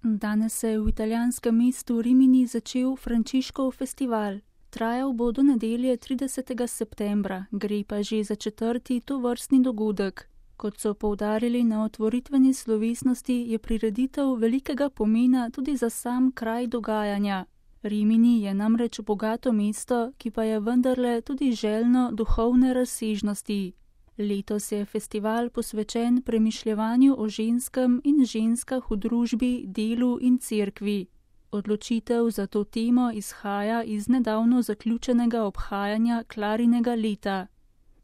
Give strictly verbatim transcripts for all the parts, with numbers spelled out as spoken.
Danes se je v italijanskem mestu Rimini začel Frančiškov festival. Trajal bo do nedelje tridesetega septembra, gre pa že za četrti tovrstni dogodek. Kot so poudarili na otvoritveni slovesnosti, je prireditev velikega pomena tudi za sam kraj dogajanja. Rimini je namreč bogato mesto, ki pa je vendarle tudi željno duhovne razsežnosti. Letos je festival posvečen premišljevanju o ženskem in ženskah v družbi, delu in cerkvi. Odločitev za to temo izhaja iz nedavno zaključenega obhajanja Klarinega leta.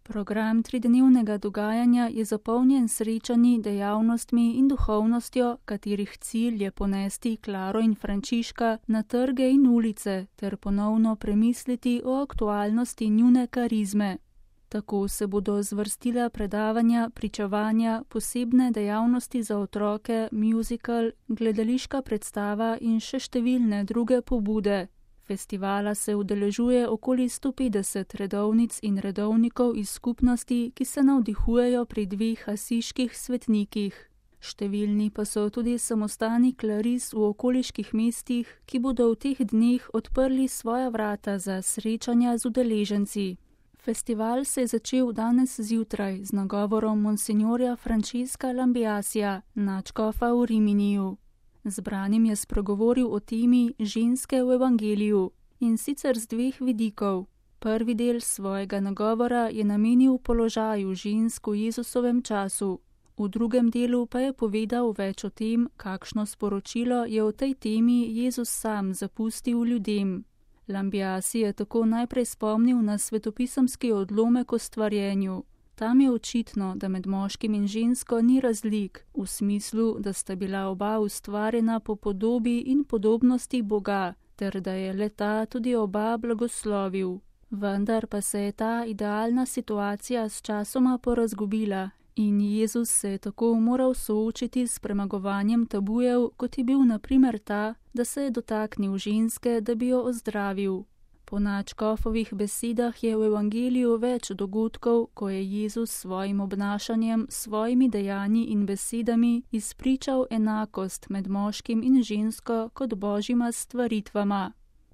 Program tridnevnega dogajanja je zapolnjen srečanji, dejavnostmi in duhovnostjo, katerih cilj je ponesti Klaro in Frančiška na trge in ulice ter ponovno premisliti o aktualnosti njune karizme. Tako se bodo zvrstila predavanja, pričevanja, posebne dejavnosti za otroke, muzikal, gledališka predstava in še številne druge pobude. Festivala se udeležuje okoli sto petdeset redovnic in redovnikov iz skupnosti, ki se navdihujejo pri dveh asiških svetnikih. Številni pa so tudi samostani klaris v okoliških mestih, ki bodo v teh dneh odprli svoja vrata za srečanja z udeleženci. Festival se je začel danes zjutraj z nagovorom monsinjorja Francesca Lambiasija, nadškofa v Riminiju. Zbranim je spregovoril o temi ženske v evangeliju in sicer z dveh vidikov. Prvi del svojega nagovora je namenil položaju žensk v Jezusovem času. V drugem delu pa je povedal več o tem, kakšno sporočilo je o tej temi Jezus sam zapustil ljudem. Lambiasi je tako najprej spomnil na svetopisemski odlomek o stvarjenju. Tam je očitno, da med moškim in žensko ni razlik, v smislu, da sta bila oba ustvarjena po podobi in podobnosti Boga, ter da je le-ta tudi oba blagoslovil. Vendar pa se je ta idealna situacija s časoma porazgubila in Jezus se je tako moral soočiti s premagovanjem tabujev, kot je bil na primer ta, da se je dotaknil ženske, da bi jo ozdravil. Po nadškofovih besedah je v evangeliju več dogodkov, ko je Jezus s svojim obnašanjem, svojimi dejanji in besedami izpričal enakost med moškim in žensko kot božjima stvaritvama.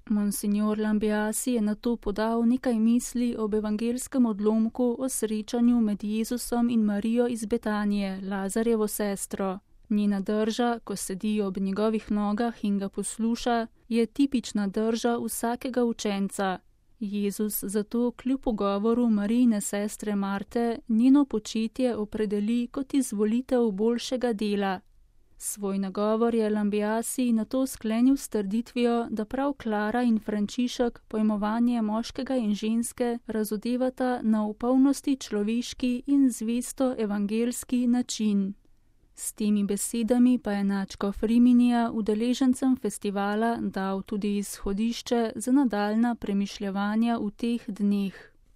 Monsignor Lambiasi je nato podal nekaj misli ob evangelskem odlomku o srečanju med Jezusom in Marijo iz Betanije, Lazarjevo sestro. Njena drža, ko sedi ob njegovih nogah in ga posluša, je tipična drža vsakega učenca. Jezus zato kljub pogovoru Marijine sestre Marte njeno početje opredeli kot izvolitev boljšega dela. Svoj nagovor je Lambiasi nato sklenil s trditvijo, da prav Klara in Frančišek pojmovanje moškega in ženske razodevata na v polnosti človeški in zvesto evangelski način. S temi besedami pa je nadškof Riminija udeležencem festivala dal tudi izhodišče za nadaljnja premišljevanja v teh dneh.